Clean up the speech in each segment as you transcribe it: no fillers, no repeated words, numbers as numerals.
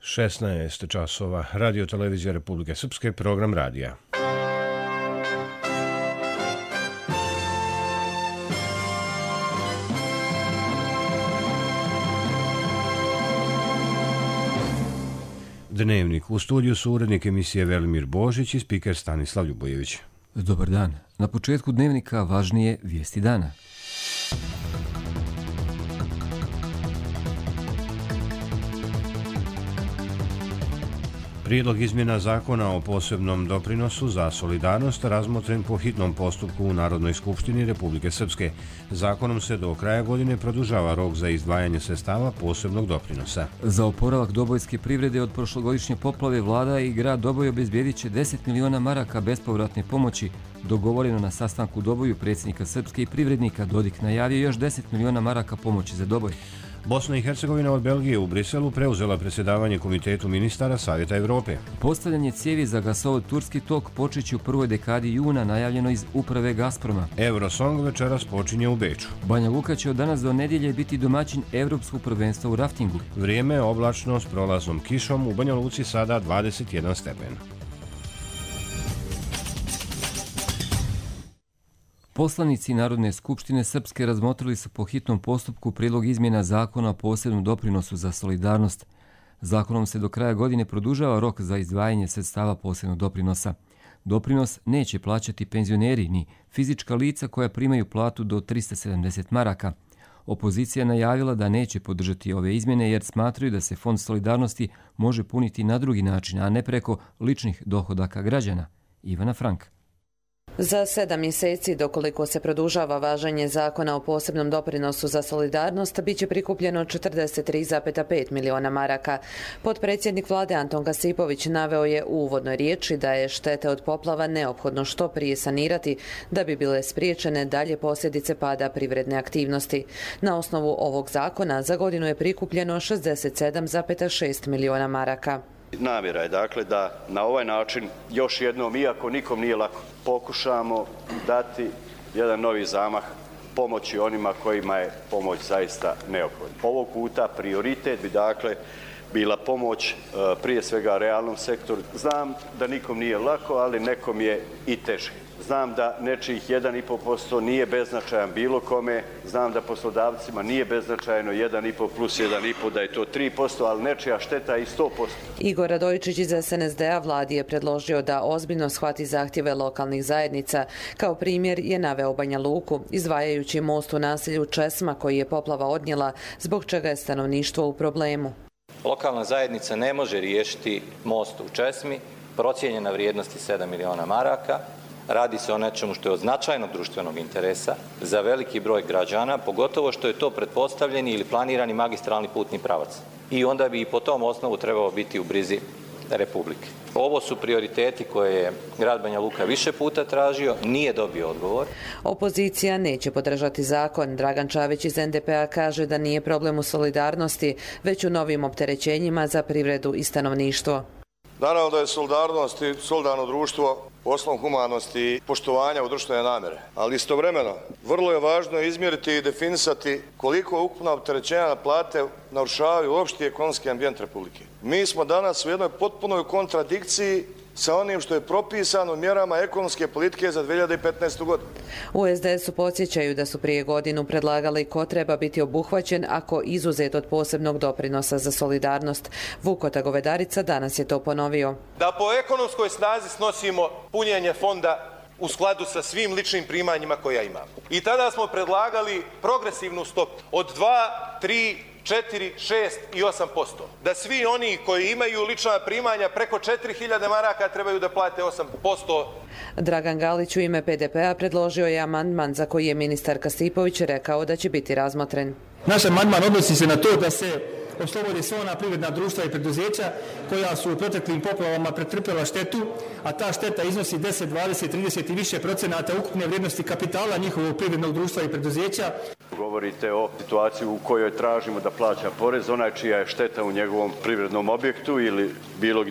16 časova. Radio Televizija Republike Srpske, program radija. Dnevnik. U studiju su urednik emisije Velimir Božić i spiker Stanislav Ljubojević. Dobar dan. Na početku dnevnika važnije vijesti dana. Prijedlog izmjena zakona o posebnom doprinosu za solidarnost razmotren po hitnom postupku u Narodnoj skupštini Republike Srpske. Zakonom se do kraja godine produžava rok za izdvajanje sredstava posebnog doprinosa. Za oporavak dobojske privrede od prošlogodišnje poplave vlada i grad Doboj obezbijedit će 10 miliona maraka bespovratne pomoći. Dogovoreno na sastanku u Doboju predsjednika Srpske i privrednika Dodik najavio još 10 miliona maraka pomoći za Doboj. Bosna i Hercegovina od Belgije u Briselu preuzela predsjedavanje Komitetu ministara Savjeta Evrope. Postavljanje cijevi za gasovod Turski tok počeće u prvoj dekadi juna, najavljeno iz uprave Gazproma. Eurosong večeras počinje u Beču. Banja Luka će od danas do nedjelje biti domaćin Evropskog prvenstva u raftingu. Vrijeme je oblačno s prolaznom kišom, u Banja Luci sada 21 stepen. Poslanici Narodne skupštine Srpske razmotrili su po hitnom postupku prijedlog izmjena zakona o posebnom doprinosu za solidarnost. Zakonom se do kraja godine produžava rok za izdvajanje sredstava posebnog doprinosa. Doprinos neće plaćati penzioneri ni fizička lica koja primaju platu do 370 maraka. Opozicija je najavila da neće podržati ove izmjene jer smatraju da se Fond solidarnosti može puniti na drugi način, a ne preko ličnih dohodaka građana. Ivana Frank. Za 7 mjeseci, dokoliko se produžava važenje zakona o posebnom doprinosu za solidarnost, bit će prikupljeno 43,5 miliona maraka. Potpredsjednik vlade Anton Gasipović naveo je u uvodnoj riječi da je štete od poplava neophodno što prije sanirati da bi bile spriječene dalje posljedice pada privredne aktivnosti. Na osnovu ovog zakona za godinu je prikupljeno 67,6 miliona maraka. Namjera je dakle da na ovaj način još jednom, iako nikom nije lako, pokušamo dati jedan novi zamah pomoći onima kojima je pomoć zaista neophodna. Ovog puta prioritet bi dakle bila pomoć prije svega realnom sektoru. Znam da nikom nije lako, ali nekom je i teže. Znam da nečijih 1,5% nije beznačajan bilo kome, znam da poslodavcima nije beznačajno 1,5 plus 1,5, da je to 3%, ali nečija šteta je i 100%. Igor Radojičić iz SNSD-a vladi je predložio da ozbiljno shvati zahtjeve lokalnih zajednica. Kao primjer je naveo Banja Luku, izdvajajući most u naselju Česma koji je poplava odnijela, zbog čega je stanovništvo u problemu. Lokalna zajednica ne može riješiti most u Česmi, procijenjena vrijednosti 7 miliona maraka. Radi se o nečemu što je od značajnog društvenog interesa za veliki broj građana, pogotovo što je to pretpostavljeni ili planirani magistralni putni pravac. I onda bi i po tom osnovu trebao biti u brizi Republike. Ovo su prioriteti koje je grad Banja Luka više puta tražio, nije dobio odgovor. Opozicija neće podržati zakon. Dragan Čavić iz NDP-a kaže da nije problem u solidarnosti, već u novim opterećenjima za privredu i stanovništvo. Naravno da je solidarnost i solidarno društvo osnov humanosti i poštovanja u društvene namjere. Ali istovremeno, vrlo je važno izmjeriti i definisati koliko ukupna opterećenja na plate narušavaju opšti ekonomski ambijent Republike. Mi smo danas u jednoj potpunoj kontradikciji sa onim što je propisano mjerama ekonomske politike za 2015. godinu. U SDS-u podsjećaju da su prije godinu predlagali ko treba biti obuhvaćen ako izuzet od posebnog doprinosa za solidarnost. Vukota Govedarica danas je to ponovio. Da po ekonomskoj snazi snosimo punjenje fonda u skladu sa svim ličnim primanjima koja imamo. I tada smo predlagali progresivnu stopu od 2, 3, 4, 6 i 8%. Da svi oni koji imaju lična primanja preko 4.000 maraka trebaju da plate 8%. Dragan Galić u ime PDP-a predložio je amandman za koji je ministar Kasipović rekao da će biti razmotren. Naš amandman odnosi se na to da se oslobode sva ona privredna društva i preduzeća koja su u proteklim poplavama pretrpjela štetu, a ta šteta iznosi 10, 20, 30 i više procenata ukupne vrijednosti kapitala njihovog privrednog društva i preduzeća. Govorite o situaciji u kojoj tražimo da plaća porez onaj čija je šteta u njegovom privrednom objektu ili bilo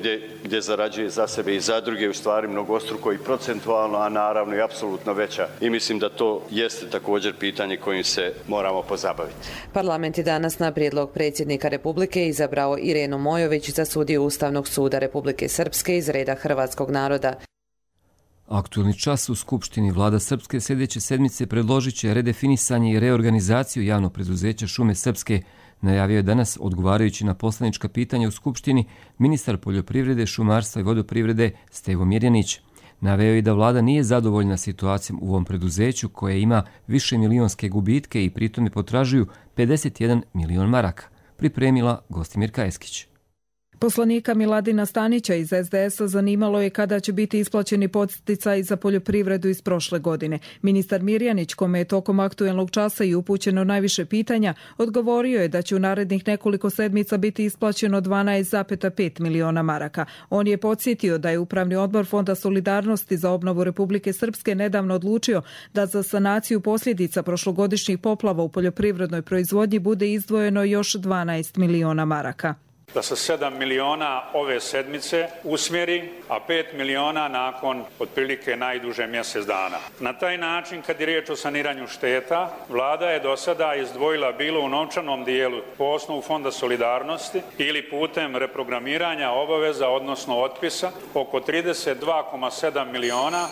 gdje zarađuje za sebe i za druge, u stvari mnogostruko i procentualno, a naravno i apsolutno veća. I mislim da to jeste također pitanje kojim se moramo pozabaviti. Parlament je danas na prijedlog predsjednika Republike izabrao Irenu Mojović za sudiju Ustavnog suda Republike Srpske iz reda hrvatskog naroda. Aktualni čas u Skupštini. Vlada Srpske sljedeće sedmice predložit će redefinisanje i reorganizaciju javnog preduzeća Šume Srpske. Najavio je danas, odgovarajući na poslanička pitanja u Skupštini, ministar poljoprivrede, šumarstva i vodoprivrede Stevo Mirjanić. Naveo je da vlada nije zadovoljna situacijom u ovom preduzeću koje ima više milionske gubitke i pritome potražuju 51 milion maraka. Pripremila Gostimirka Eskić. Poslanika Miladina Stanića iz SDS-a zanimalo je kada će biti isplaćeni podsticaji za poljoprivredu iz prošle godine. Ministar Mirjanić, kome je tokom aktuelnog časa i upućeno najviše pitanja, odgovorio je da će u narednih nekoliko sedmica biti isplaćeno 12,5 miliona maraka. On je podsjetio da je Upravni odbor Fonda solidarnosti za obnovu Republike Srpske nedavno odlučio da za sanaciju posljedica prošlogodišnjih poplava u poljoprivrednoj proizvodnji bude izdvojeno još 12 miliona maraka. Da se 7 miliona ove sedmice usmjeri, a 5 miliona nakon otprilike najduže mjesec dana. Na taj način, kad je riječ o saniranju šteta, vlada je do sada izdvojila bilo u novčanom dijelu po osnovu Fonda solidarnosti ili putem reprogramiranja obaveza, odnosno otpisa, oko 32,7 miliona.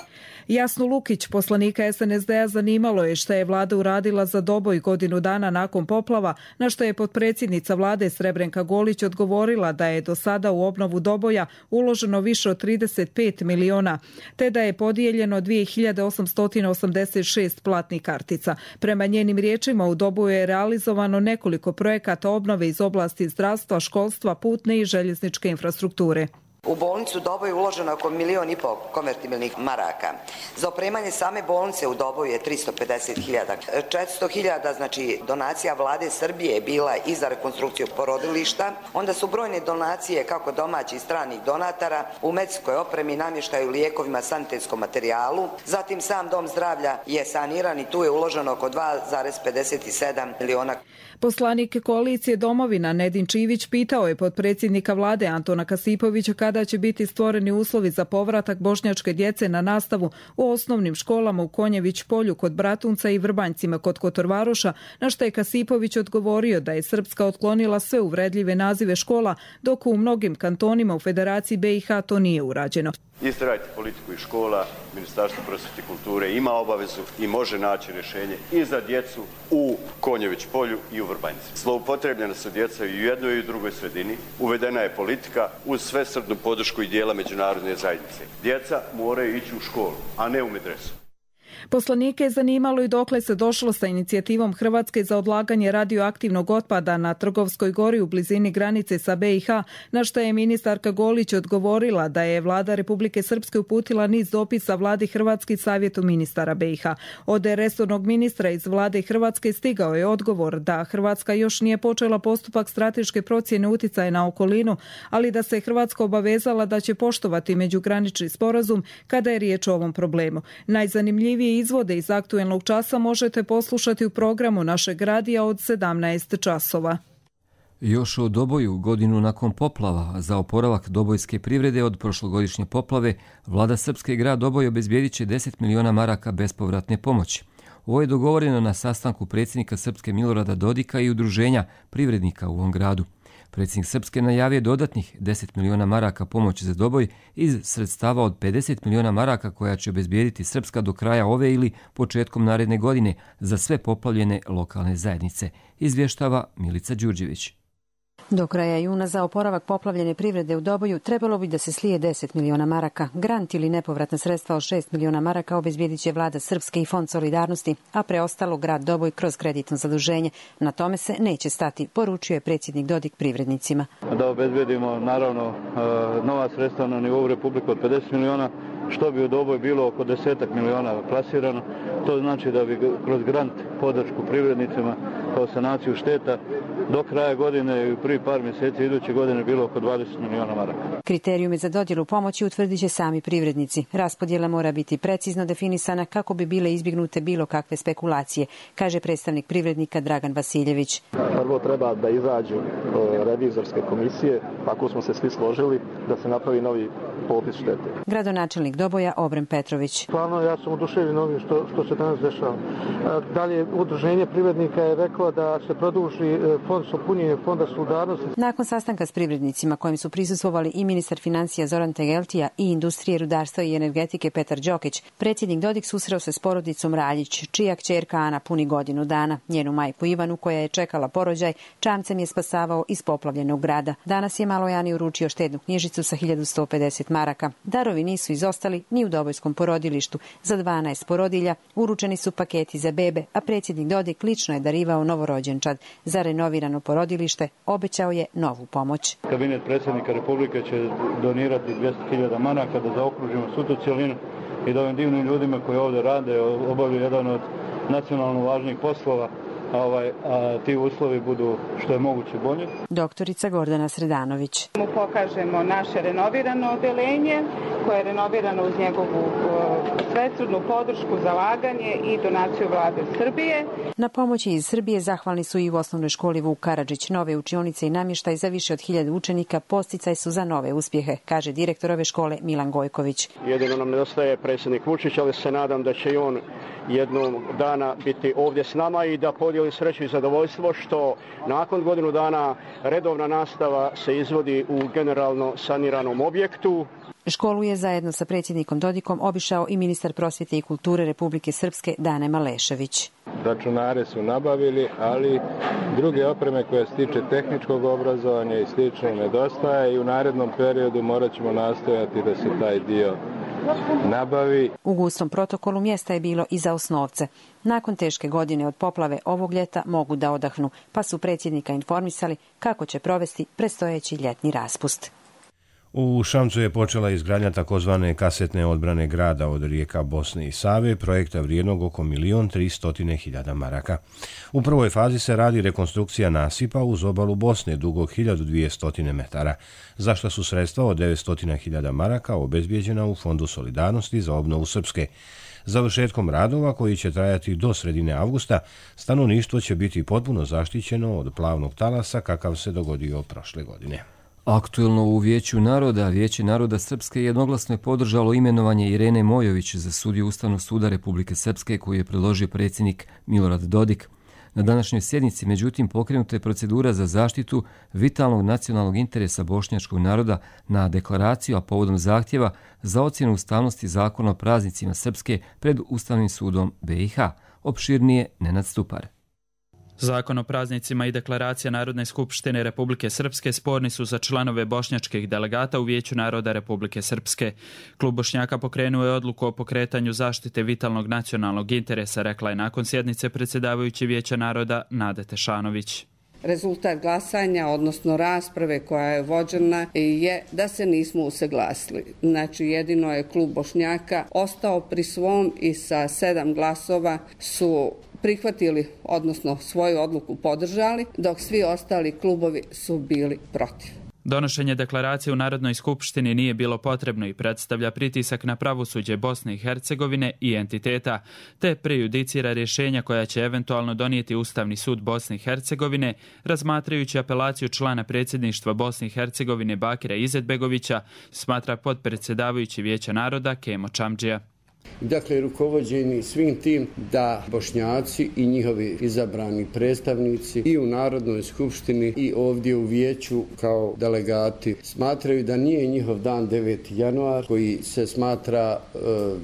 Jasnu Lukić, poslanika SNSD-a, zanimalo je šta je vlada uradila za Doboj godinu dana nakon poplava, na što je potpredsjednica vlade Srebrenka Golić odgovorila da je do sada u obnovu Doboja uloženo više od 35 miliona, te da je podijeljeno 2886 platnih kartica. Prema njenim riječima, u Doboju je realizovano nekoliko projekata obnove iz oblasti zdravstva, školstva, putne i željezničke infrastrukture. U bolnicu Doboj je uloženo oko 1,5 miliona konvertibilnih maraka. Za opremanje same bolnice u Doboju je 350.000. 400.000 znači donacija vlade Srbije je bila i za rekonstrukciju porodilišta. Onda su brojne donacije kako domaćih i stranih donatara u medicinskoj opremi, namještaju, lijekovima, sanitetskom materijalu. Zatim sam dom zdravlja je saniran i tu je uloženo oko 2,57 miliona. Poslanik koalicije Domovina Nedin Čivić pitao je potpredsjednika vlade Antona Kasipovića kada će biti stvoreni uslovi za povratak bošnjačke djece na nastavu u osnovnim školama u Konjević polju kod Bratunca i Vrbanjcima kod Kotorvaroša, na što je Kasipović odgovorio da je Srpska otklonila sve uvredljive nazive škola, dok u mnogim kantonima u Federaciji BiH to nije urađeno. Istrajte politiku i škola, Ministarstvo prosvjete i kulture ima obavezu i može naći rješenje i za djecu u Konjević polju i u Vrbanjci. Zloupotrebljena su djeca i u jednoj i u drugoj sredini. Uvedena je politika uz svesrdnu podršku i dijela međunarodne zajednice. Djeca moraju ići u školu, a ne u medresu. Poslanike je zanimalo i dokle se došlo sa inicijativom Hrvatske za odlaganje radioaktivnog otpada na Trgovskoj gori u blizini granice sa BiH, na što je ministarka Golić odgovorila da je vlada Republike Srpske uputila niz dopisa vladi Hrvatske i savjetu ministara BiH. Od resornog ministra iz vlade Hrvatske stigao je odgovor da Hrvatska još nije počela postupak strateške procjene uticaja na okolinu, ali da se Hrvatska obavezala da će poštovati međugranični sporazum kada je riječ o ovom problemu. Najzanimljivije izvode iz aktuelnog časa možete poslušati u programu našeg radija od 17 časova. Još o Doboju, godinu nakon poplava, za oporavak dobojske privrede od prošlogodišnje poplave, vlada Srpske i grad Doboj obezbijedit će 10 miliona maraka bespovratne pomoći. Ovo je dogovoreno na sastanku predsjednika Srpske Milorada Dodika i udruženja privrednika u ovom gradu. Predsjednik Srpske najavio dodatnih 10 miliona maraka pomoći za Doboj iz sredstava od 50 miliona maraka koja će obezbijediti Srpska do kraja ove ili početkom naredne godine za sve poplavljene lokalne zajednice, izvještava Milica Đurđević. Do kraja juna za oporavak poplavljene privrede u Doboju trebalo bi da se slije 10 miliona maraka. Grant ili nepovratna sredstva od 6 miliona maraka obezbijedit će vlada Srpske i Fond solidarnosti, a preostalo grad Doboj kroz kreditno zaduženje. Na tome se neće stati, poručio je predsjednik Dodik privrednicima. Da obezbijedimo naravno nova sredstva na nivou Republike od 50 miliona, što bi u Doboj bilo oko 10 miliona plasirano. To znači da bi kroz grant podršku privrednicima kao sanaciju šteta. Do kraja godine i u prvi par mjeseci iduće godine bilo oko 20 milijuna maraka. Kriterijume za dodjelu pomoći utvrdit će sami privrednici. Raspodjela mora biti precizno definisana kako bi bile izbjegnute bilo kakve spekulacije, kaže predstavnik privrednika Dragan Vasiljević. Prvo treba da izađu revizorske komisije, tako smo se svi složili da se napravi novi popis štete. Gradonačelnik Doboja Obren Petrović. Stvarno ja sam oduševljen ovim što se danas dešava. Dalje, udruženje privrednika je reklo da se produži fond punjenje fonda solidarnosti. Nakon sastanka s privrednicima kojim su prisustvovali i ministar financija Zoran Tegeltija i industrije, rudarstva i energetike Petar Đokić, predsjednik Dodik susreo se s porodicom Raljić, čija kćerka Ana puni godinu dana. Njenu majku Ivanu, koja je čekala porođaj, čamcem je spasavao iz poplavljenog grada. Danas je maloj Ani uručio štednu knjižicu sa 1150 maraka. Darovi nisu izostali ni u Dobojskom porodilištu. Za 12 porodilja uručeni su paketi za bebe, a predsjednik Dodik lično je darivao novorođenčad. Za renovirano porodilište obećao je novu pomoć. Kabinet predsjednika Republike će donirati 200.000 maraka da zaokružimo svu tu cjelinu i da ovim divnim ljudima koji ovdje rade obavljaju jedan od nacionalno važnih poslova, a ti uslovi budu što je moguće bolji. Doktorica Gordana Sredanović. Mu pokažemo naše renovirano odeljenje koje je renovirano uz njegovu svesrdnu podršku, zalaganje i donaciju vlade Srbije. Na pomoći iz Srbije zahvalni su i u osnovnoj školi Vuk Karadžić. Nove učionice i namještaj za više od 1000 učenika posticaj su za nove uspjehe, kaže direktor ove škole Milan Gojković. Jedino nam nedostaje predsjednik Vučić, ali se nadam da će i on jednog dana biti ovdje s nama i da podijeli sreću i zadovoljstvo što nakon godinu dana redovna nastava se izvodi u generalno saniranom objektu. Školu je zajedno sa predsjednikom Dodikom obišao i ministar prosvjete i kulture Republike Srpske Dane Malešević. Računare su nabavili, ali druge opreme koje se tiče tehničkog obrazovanja i slično nedostaje i u narednom periodu morat ćemo nastojati da se taj dio nabavi. U gustom protokolu mjesta je bilo i za osnovce. Nakon teške godine od poplave ovog ljeta mogu da odahnu, pa su predsjednika informisali kako će provesti predstojeći ljetni raspust. U Šamcu je počela izgradnja takozvane kasetne odbrane grada od rijeka Bosne i Save, projekta vrijednog oko 1.300.000 maraka. U prvoj fazi se radi rekonstrukcija nasipa uz obalu Bosne dugog 1200 metara, za što su sredstva od 900.000 maraka obezbijeđena u Fondu solidarnosti za obnovu Srpske. Završetkom radova, koji će trajati do sredine avgusta, stanovništvo će biti potpuno zaštićeno od plavnog talasa kakav se dogodio prošle godine. Aktuelno u Vijeću naroda, Vijeće naroda Srpske jednoglasno je podržalo imenovanje Irene Mojović za sudiju Ustavnog suda Republike Srpske koju je predložio predsjednik Milorad Dodik. Na današnjoj sjednici, međutim, pokrenuta je procedura za zaštitu vitalnog nacionalnog interesa bošnjačkog naroda na deklaraciju, a povodom zahtjeva za ocjenu ustavnosti zakona o praznicima Srpske pred Ustavnim sudom BiH. Opširnije Nenad Stupar. Zakon o praznicima i deklaracija Narodne skupštine Republike Srpske sporni su za članove bošnjačkih delegata u Vijeću naroda Republike Srpske. Klub Bošnjaka pokrenuo je odluku o pokretanju zaštite vitalnog nacionalnog interesa, rekla je nakon sjednice predsjedavajući Vijeća naroda Nade Tešanović. Rezultat glasanja, odnosno rasprave koja je vođena, je da se nismo usaglasili. Znači, jedino je klub Bošnjaka ostao pri svom i sa 7 glasova su prihvatili, odnosno svoju odluku podržali, dok svi ostali klubovi su bili protiv. Donošenje deklaracije u Narodnoj skupštini nije bilo potrebno i predstavlja pritisak na pravosuđe Bosne i Hercegovine i entiteta, te prejudicira rješenja koja će eventualno donijeti Ustavni sud Bosne i Hercegovine, razmatrajući apelaciju člana predsjedništva Bosne i Hercegovine Bakira Izetbegovića, smatra potpredsjedavajući Vijeća naroda Kemo Čamdžija. Dakle, rukovođeni svim tim da Bošnjaci i njihovi izabrani predstavnici i u Narodnoj skupštini i ovdje u Vijeću kao delegati smatraju da nije njihov dan 9. januar koji se smatra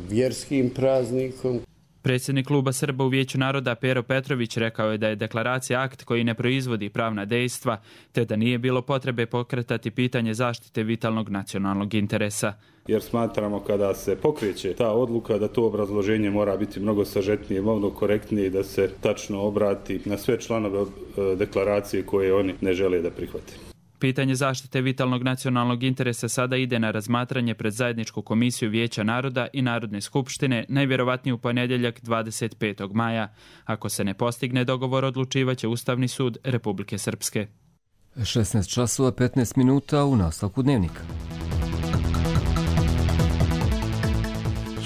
vjerskim praznikom. Predsjednik kluba Srba u Vijeću naroda Pero Petrović rekao je da je deklaracija akt koji ne proizvodi pravna dejstva, te da nije bilo potrebe pokretati pitanje zaštite vitalnog nacionalnog interesa. Jer smatramo kada se pokreće ta odluka da to obrazloženje mora biti mnogo sažetnije, mnogo korektnije i da se tačno obrati na sve članove deklaracije koje oni ne žele da prihvate. Pitanje zaštite vitalnog nacionalnog interesa sada ide na razmatranje pred zajedničku komisiju Vijeća naroda i Narodne skupštine, najvjerovatnije u ponedjeljak 25. maja. Ako se ne postigne dogovor, odlučivaće Ustavni sud Republike Srpske. 16 časova 15 minuta u nastavku dnevnika.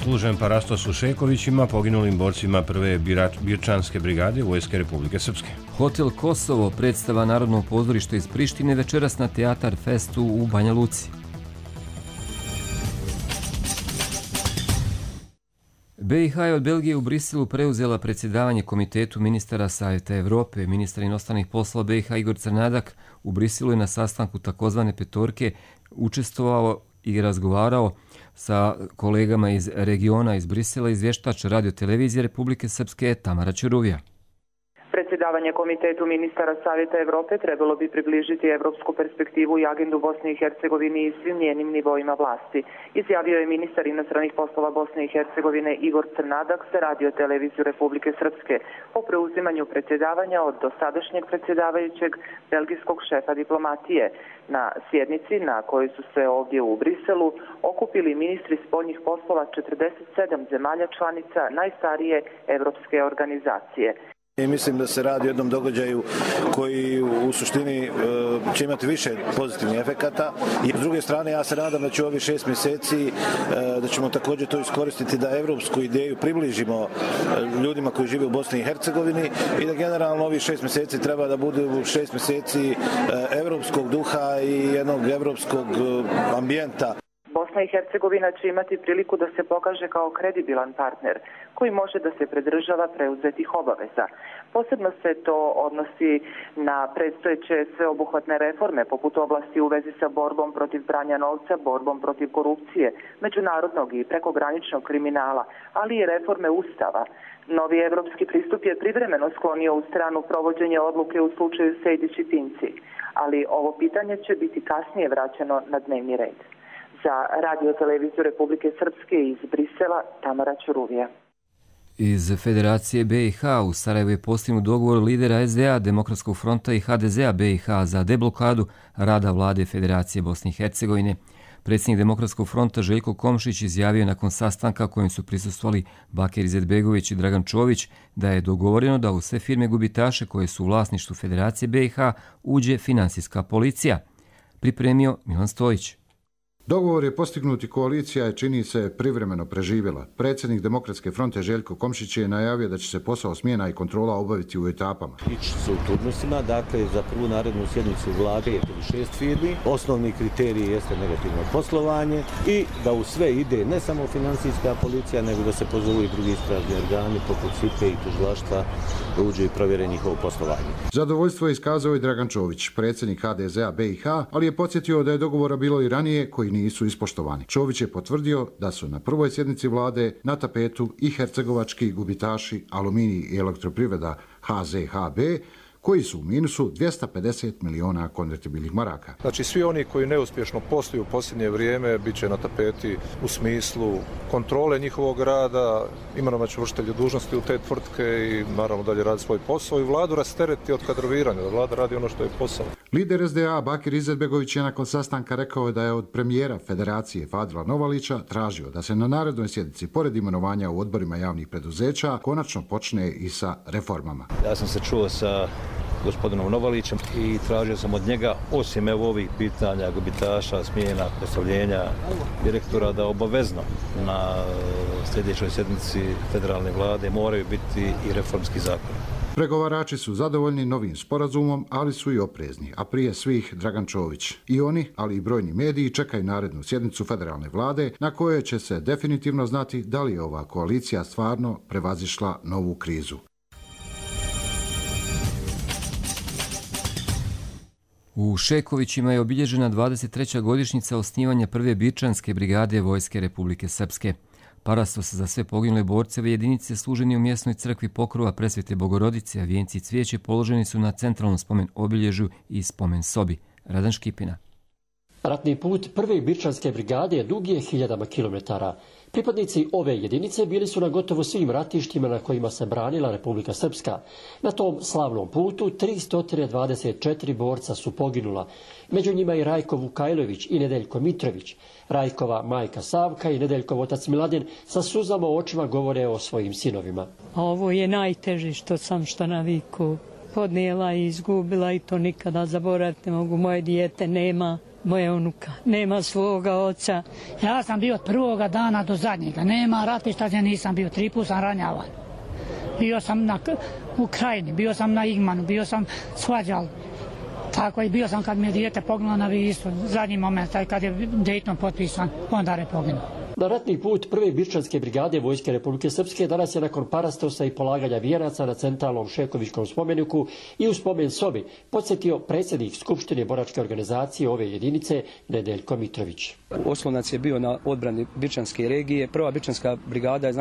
Služen parastos u Šekovićima, poginulim borcima prve Birčanske brigade Vojske Republike Srpske. Hotel Kosovo, predstava Narodnog pozorišta iz Prištine, večeras na Teatar Festu u Banja Luci. BiH je od Belgije u Briselu preuzela predsjedavanje Komitetu ministara Savjeta Evrope. Ministar inostranih poslova BiH Igor Crnadak u Briselu je na sastanku takozvane petorke učestvovao i razgovarao sa kolegama iz regiona iz Brisela, izvještač Radio-televizije Republike Srpske Tamara Ćuruvija. Predsjedavanje Komitetu ministara Savjeta Evrope trebalo bi približiti evropsku perspektivu i agendu Bosne i Hercegovine i svim njenim nivoima vlasti, izjavio je ministar inostranih poslova Bosne i Hercegovine Igor Crnadak za Radio-televiziju Republike Srpske po preuzimanju predsjedavanja od dosadašnjeg predsjedavajućeg belgijskog šefa diplomatije. Na sjednici na kojoj su se ovdje u Briselu okupili ministri spoljnih poslova 47 zemalja članica najstarije evropske organizacije. I mislim da se radi o jednom događaju koji u suštini će imati više pozitivnih efekata. I s druge strane, ja se nadam da će ovih 6 mjeseci, da ćemo također to iskoristiti da evropsku ideju približimo ljudima koji žive u Bosni i Hercegovini i da generalno ovih 6 mjeseci treba da bude 6 mjeseci evropskog duha i jednog evropskog ambijenta. Bosna i Hercegovina će imati priliku da se pokaže kao kredibilan partner koji može da se pridržava preuzetih obaveza. Posebno se to odnosi na predstojeće sveobuhvatne reforme poput oblasti u vezi sa borbom protiv pranja novca, borbom protiv korupcije, međunarodnog i prekograničnog kriminala, ali i reforme Ustava. Novi evropski pristup je privremeno sklonio u stranu provođenja odluke u slučaju Sejdić i Pinci, ali ovo pitanje će biti kasnije vraćeno na dnevni red. Za Radio-televiziju Republike Srpske iz Brisela, Tamara Ćuruvija. Iz Federacije BiH u Sarajevu je postignut dogovor lidera SDA, Demokratskog fronta i HDZ-a BiH za deblokadu rada vlade Federacije Bosne i Hercegovine. Predsjednik Demokratskog fronta Željko Komšić izjavio nakon sastanka kojem su prisustvovali Bakir Izetbegović i Dragan Čović da je dogovoreno da u sve firme gubitaše koje su u vlasništvu Federacije BiH uđe finansijska policija. Pripremio Milan Stojić. Dogovor je postignut i koalicija je, čini se, privremeno preživjela. Predsjednik Demokratske fronte Željko Komšić je najavio da će se posao smjena i kontrola obaviti u etapama. Ići se u turnusima, dakle za prvu narednu sjednicu vlade je 6 firmi. Osnovni kriterij jeste negativno poslovanje i da u sve ide ne samo financijska policija, nego da se pozovu i drugi istražni organi poput SIPE i tužilaštva da uđe i provjere njihovo poslovanje. Zadovoljstvo je iskazao i Dragan Čović, predsjednik HDZ-a BiH, ali je podsjetio da je dogovora bilo i ranije koji nisu ispoštovani. Čović je potvrdio da su na prvoj sjednici vlade na tapetu i hercegovački gubitaši Aluminij i Elektroprivreda HZHB, koji su u minusu 250 miliona konvertibilnih maraka. Znači, svi oni koji neuspješno posluju u posljednje vrijeme bit će na tapeti u smislu kontrole njihovog rada, imenovat će vršitelje dužnosti u te tvrtke i naravno dalje radi svoj posao i vladu rastereti od kadroviranja, da vlada radi ono što je posao. Lider SDA Bakir Izetbegović je nakon sastanka rekao da je od premijera Federacije Fadila Novalića tražio da se na narednoj sjednici, pored imenovanja u odborima javnih preduzeća, konačno počne i sa reformama. Ja sam se čuo sa gospodinom Novalićem i tražio sam od njega, osim ovih pitanja gubitaša, smjena, predstavljenja direktora, da obavezno na sljedećoj sjednici federalne vlade moraju biti i reformski zakoni. Pregovarači su zadovoljni novim sporazumom, ali su i oprezni, a prije svih Dragan Čović. I oni, ali i brojni mediji, čekaju narednu sjednicu federalne vlade na kojoj će se definitivno znati da li je ova koalicija stvarno prevazišla novu krizu. U Šekovićima je obilježena 23. godišnjica osnivanja prve Birčanske brigade Vojske Republike Srpske. Parastos za sve poginule borceve jedinice služeni u mjesnoj crkvi Pokrova Presvete Bogorodice, a vijenci i cvijeće položeni su na centralnom spomen obilježju i spomen sobi. Radan Škipina. Ratni put prve Birčanske brigade dug je 1000 kilometara. Pripadnici ove jedinice bili su na gotovo svim ratištima na kojima se branila Republika Srpska. Na tom slavnom putu 324 borca su poginula. Među njima i Rajko Vukajlović i Nedeljko Mitrović. Rajkova majka Savka i Nedeljkov otac Miladin sa suzama u očima govore o svojim sinovima. Ovo je najteže što sam na viku podnijela i izgubila i to nikada zaboraviti ne mogu. Moje dijete nema. Moja unuka nema svoga oca. Ja sam bio od prvoga dana do zadnjega. Nema ratišta gdje nisam bio. 3 puta sam ranjavan. Bio sam u Krajini, bio sam na Igmanu, bio sam svađal. Tako i bio sam kad mi je dijete poginulo na Visu. Zadnji moment, kad je Dayton potpisan, onda je poginuo. Na ratni put prve Birčanske brigade Vojske Republike Srpske danas je nakon parastosa i polaganja vijenaca na centralnom Šekovičkom spomeniku i u spomen sobi podsjetio predsjednik Skupštine boračke organizacije ove jedinice Nedeljko Mitrović. Oslonac je bio na odbrani Birčanske regije. Prva Birčanska brigada je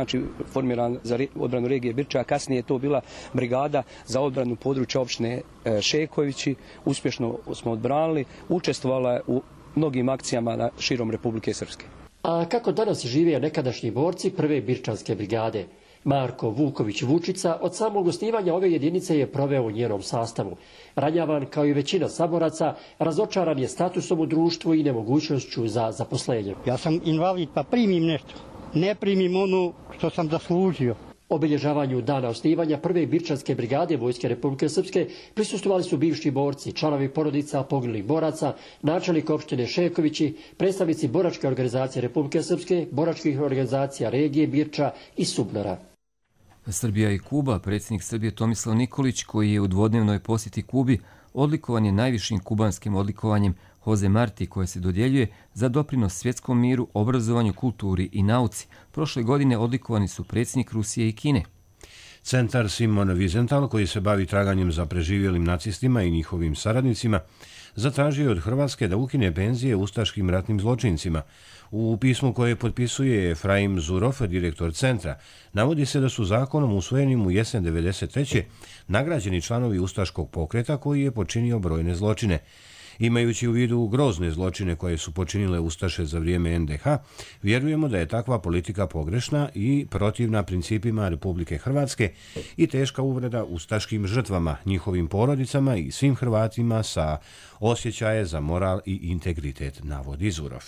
formirana za odbranu regije Birča, kasnije je to bila brigada za odbranu područja opštine Šekovići. Uspješno smo odbranili, učestvovala je u mnogim akcijama širom Republike Srpske. A kako danas žive nekadašnji borci prve Birčanske brigade? Marko Vuković Vučica od samog osnivanja ove jedinice je proveo u njenom sastavu. Ranjavan kao i većina saboraca, razočaran je statusom u društvu i nemogućnošću za zaposlenje. Ja sam invalid pa primim nešto, ne primim ono što sam zaslužio. Obilježavanju dana osnivanja prve Birčanske brigade Vojske Republike Srpske prisustvovali su bivši borci, članovi porodica poginulih boraca, načelnik opštine Šekovići, predstavnici boračke organizacije Republike Srpske, boračkih organizacija regije Birča i Subnara. Srbija i Kuba, predsjednik Srbije Tomislav Nikolić, koji je u dvodnevnoj posjeti Kubi, odlikovan je najvišim kubanskim odlikovanjem Jose Marti, koje se dodjeljuje za doprinos svjetskom miru, obrazovanju, kulturi i nauci. Prošle godine odlikovani su predsjednik Rusije i Kine. Centar Simon Wiesenthal, koji se bavi traganjem za preživjelim nacistima i njihovim saradnicima, zatražio od Hrvatske da ukine penzije ustaškim ratnim zločincima. U pismu koje potpisuje Efraim Zurov, direktor centra, navodi se da su zakonom usvojenim u jesen 1993. nagrađeni članovi ustaškog pokreta koji je počinio brojne zločine. Imajući u vidu grozne zločine koje su počinile ustaše za vrijeme NDH, vjerujemo da je takva politika pogrešna i protivna principima Republike Hrvatske i teška uvreda ustaškim žrtvama, njihovim porodicama i svim Hrvatima sa osjećaje za moral i integritet, navodi Zurov.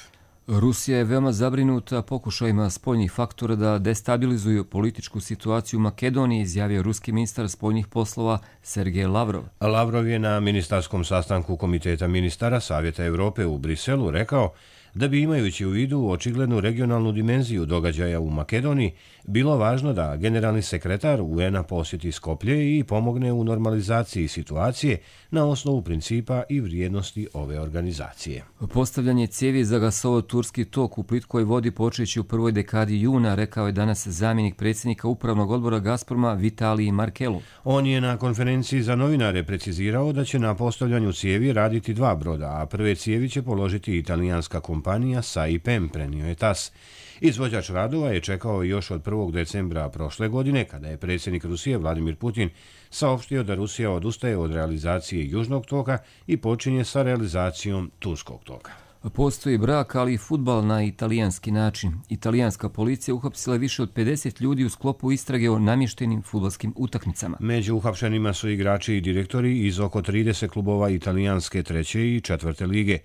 Rusija je veoma zabrinuta pokušajima spoljnih faktora da destabilizuju političku situaciju u Makedoniji, izjavio ruski ministar spoljnih poslova Sergej Lavrov. Lavrov je na ministarskom sastanku Komiteta ministara Savjeta Europe u Briselu rekao da bi, imajući u vidu očiglednu regionalnu dimenziju događaja u Makedoniji, bilo važno da generalni sekretar UN-a posjeti Skoplje i pomogne u normalizaciji situacije na osnovu principa i vrijednosti ove organizacije. Postavljanje cijevi za gasovod Turski tok u plitkoj vodi počeći u prvoj dekadi juna, rekao je danas zamjenik predsjednika upravnog odbora Gazproma Vitalij Markelov. On je na konferenciji za novinare precizirao da će na postavljanju cijevi raditi 2 broda, a prve cijevi će položiti italijanska kompanija Saipem, prenio je TAS. Izvođač radova je čekao još od 1. decembra prošle godine, kada je predsjednik Rusije Vladimir Putin saopštio da Rusija odustaje od realizacije Južnog toka i počinje sa realizacijom Turskog toka. Postoji brak, ali i fudbal na italijanski način. Italijanska policija uhapsila više od 50 ljudi u sklopu istrage o namještenim fudbalskim utakmicama. Među uhapšenima su igrači i direktori iz oko 30 klubova italijanske 3. i 4. lige.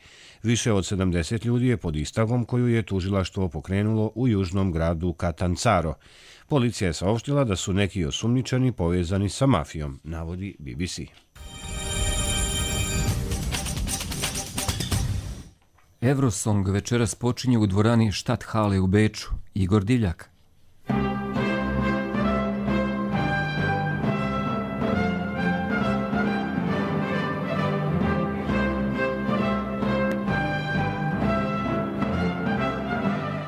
Više od 70 ljudi je pod istragom koju je tužilaštvo pokrenulo u južnom gradu Catanzaro. Policija je saopštila da su neki osumnjičeni povezani sa mafijom, navodi BBC. Eurosong večeras počinje u dvorani Stadthalle u Beču. Igor Divljak.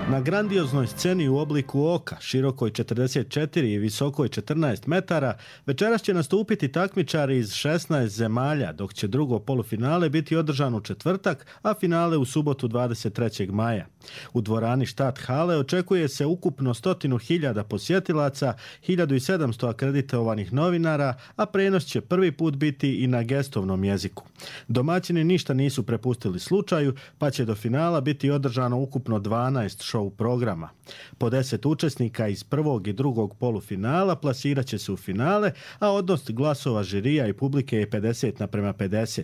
Na grandioznoj sceni u obliku oka, širokoj 44 i visokoj 14 metara, večeras će nastupiti takmičari iz 16 zemalja, dok će drugo polufinale biti održano u četvrtak, a finale u subotu 23. maja. U dvorani Stadthalle očekuje se ukupno 100.000 posjetilaca, 1.700 akreditovanih novinara, a prenos će prvi put biti i na gestovnom jeziku. Domaćini ništa nisu prepustili slučaju, pa će do finala biti održano ukupno 12 show sastavu programa. Po 10 učesnika iz prvog i drugog polufinala plasirat će se u finale, a odnos glasova žirija i publike je 50:50.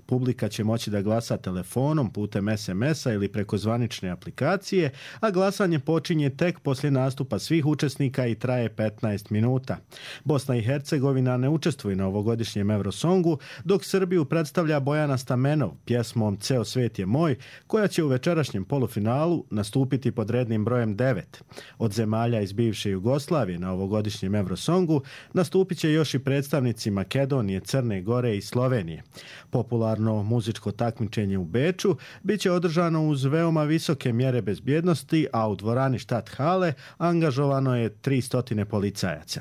Publika će moći da glasa telefonom, putem SMS-a ili preko zvanične aplikacije, a glasanje počinje tek poslije nastupa svih učesnika i traje 15 minuta. Bosna i Hercegovina ne učestvuje na ovogodišnjem Eurosongu, dok Srbiju predstavlja Bojana Stamenov pjesmom Ceo svet je moj, koja će u večerašnjem polufinalu nastupiti pod rednim brojem 9. Od zemalja iz bivše Jugoslavije na ovogodišnjem Eurosongu nastupit će još i predstavnici Makedonije, Crne Gore i Slovenije. Popularno muzičko takmičenje u Beču bit će održano uz veoma visoke mjere bezbjednosti, a u dvorani Stadthale angažovano je 300 policajaca.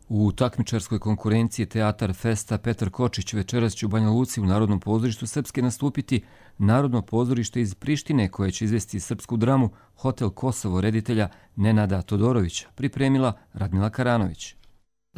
U takmičarskoj konkurenciji Teatar Festa Petar Kočić večeras će u Banja Luci u Narodnom pozorištu Srpske nastupiti Narodno pozorište iz Prištine koje će izvesti srpsku dramu Hotel Kosovo reditelja Nenada Todorovića, pripremila Radmila Karanović.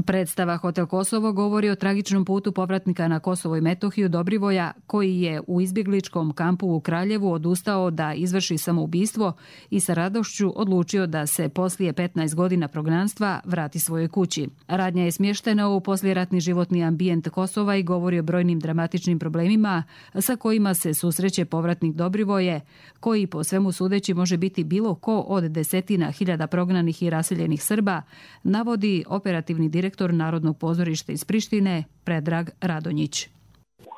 Predstava Hotel Kosovo govori o tragičnom putu povratnika na Kosovo i Metohiju Dobrivoja, koji je u izbjegličkom kampu u Kraljevu odustao da izvrši samoubistvo i sa radošću odlučio da se poslije 15 godina prognanstva vrati svojoj kući. Radnja je smještena u poslijeratni životni ambijent Kosova i govori o brojnim dramatičnim problemima sa kojima se susreće povratnik Dobrivoje, koji po svemu sudeći može biti bilo ko od desetina hiljada prognanih i raseljenih Srba, navodi operativni direktor Narodnog pozorišta iz Prištine Predrag Radonjić.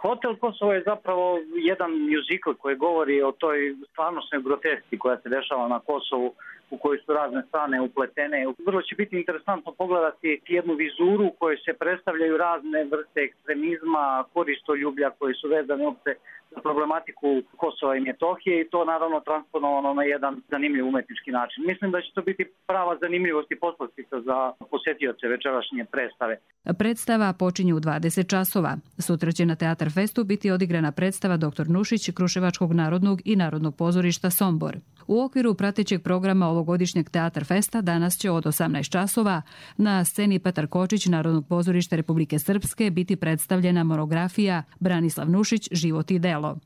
Hotel Kosovo je zapravo jedan mjuzikl koji govori o toj stvarnostnoj grotesci koja se dešava na Kosovu, u kojoj su razne strane upletene. Vrlo će biti interesantno pogledati jednu vizuru u kojoj se predstavljaju razne vrste ekstremizma, koristoljublja koji su vezane uopšte za problematiku Kosova i Metohije i to naravno transponovano na jedan zanimljiv umetnički način. Mislim da će to biti prava zanimljivost i poslastica za posjetioce večerašnje predstave. Predstava počinje u 20 časova. Sutra će na Teatar Festu biti odigrana predstava Dr. Nušić Kruševačkog narodnog i Narodnog pozorišta Sombor. U okviru pratećeg programa ovogodišnjeg Teatar Festa danas će od 18 časova na sceni Petar Kočić Narodnog pozorišta Republike Srpske biti predstavljena monografija Branislav Nušić Život i delo.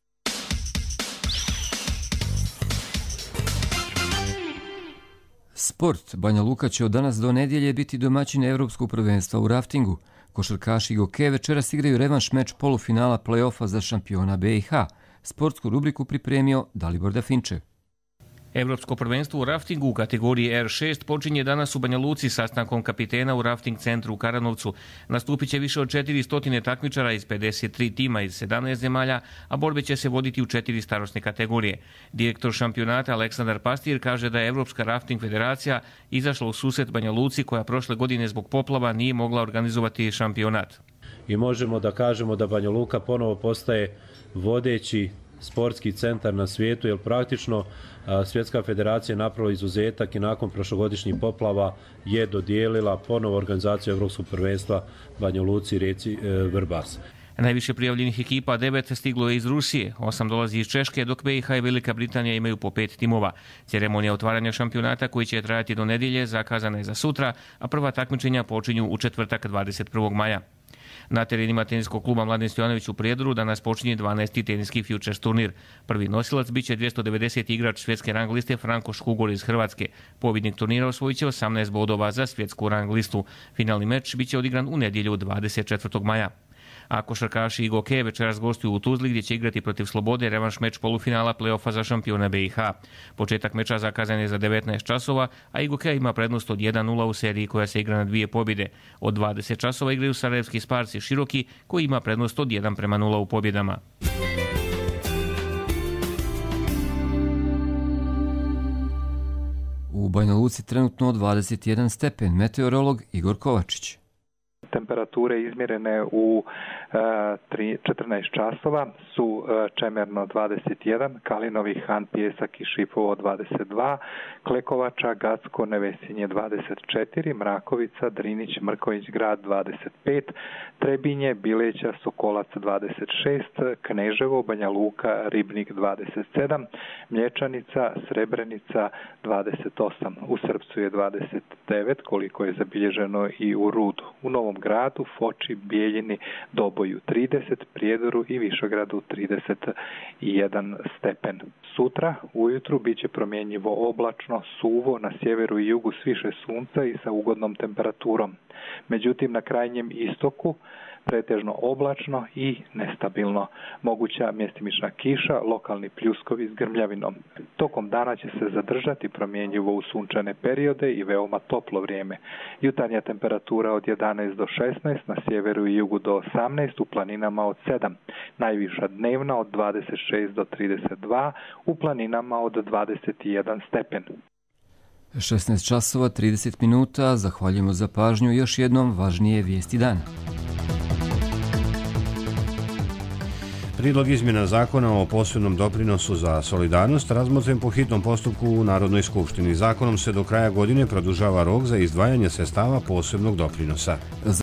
Sport. Banja Luka će od danas do nedjelje biti domaćin Evropskog prvenstva u raftingu. Košarkaši Goke večeras igraju revanš meč polufinala play-offa za šampiona BiH. Sportsku rubriku pripremio Dalibor Dafinčev. Evropsko prvenstvo u raftingu u kategoriji R6 počinje danas u Banja Luci sastankom kapitena u rafting centru u Karanovcu. Nastupit će više od 400 takmičara iz 53 tima iz 17 zemalja, a borbe će se voditi u 4 starosne kategorije. Direktor šampionata Aleksandar Pastir kaže da je Evropska rafting federacija izašla u susret Banja Luci koja prošle godine zbog poplava nije mogla organizovati šampionat. I možemo da kažemo da Banja Luka ponovo postaje vodeći sportski centar na svijetu, jer praktično Svjetska federacija napravila izuzetak i nakon prošlogodišnjih poplava je dodijelila ponovo organizaciju Evropskog prvenstva Banja Luci, Rijeci, Vrbas. Najviše prijavljenih ekipa 9 stiglo je iz Rusije, 8 dolazi iz Češke, dok BiH i Velika Britanija imaju po 5 timova. Ceremonija otvaranja šampionata koji će trajati do nedjelje zakazana je za sutra, a prva takmičenja počinju u četvrtak 21. maja. Na terenima teniskog kluba Mladen Stojanović u Prijedoru danas počinje 12. teniski Futures turnir. Prvi nosilac biće 290. igrač svjetske rang liste Franko Škugor iz Hrvatske. Pobjednik turnira osvojit će 18 bodova za svjetsku rang listu. Finalni meč biće odigran u nedjelju 24. maja. A košarkaši Goke večeras gostuju u Tuzli gdje će igrati protiv Slobode revanš meč polufinala play-offa za šampiona BiH. Početak meča zakazan je za 19 časova, a Goke ima prednost od 1-0 u seriji koja se igra na 2 pobjede. Od 20 časova igraju sarajevski Sparci Široki koji ima prednost od 1-0 u pobjedama. U Banja Luci trenutno 21 stepen. Meteorolog Igor Kovačić. Temperature izmjerene u 14 časova su Čemerno 21, Kalinovi, Han, Pjesak i Šipovo 22, Klekovača, Gacko, Nevesinje 24, Mrakovica, Drinić, Mrković grad 25, Trebinje, Bileća, Sokolac 26, Kneževo, Banja Luka, Ribnik 27, Mlječanica, Srebrenica 28, u Srpcu je 29, koliko je zabilježeno i u Rudu. U Novom gradu, Foči, Bijeljini, Doboju 30, Prijedoru i Višegradu 31 stepen. Sutra ujutru bit će promjenjivo oblačno, suvo, na sjeveru i jugu s više sunca i sa ugodnom temperaturom. Međutim, na krajnjem istoku pretežno oblačno i nestabilno. Moguća mjestimična kiša, lokalni pljuskovi s grmljavinom. Tokom dana će se zadržati promjenjivo u sunčane periode i veoma toplo vrijeme. Jutarnja temperatura od 11 do 16, na sjeveru i jugu do 18, u planinama od 7. Najviša dnevna od 26 do 32, u planinama od 21 stepen. 16 časova 30 minuta, zahvaljujemo za pažnju. Još jednom važnije vijesti dana. Prijedlog izmjena zakona o posebnom doprinosu za solidarnost razmotren po hitnom postupku u Narodnoj skupštini. Zakonom se do kraja godine produžava rok za izdvajanje sredstava posebnog doprinosa.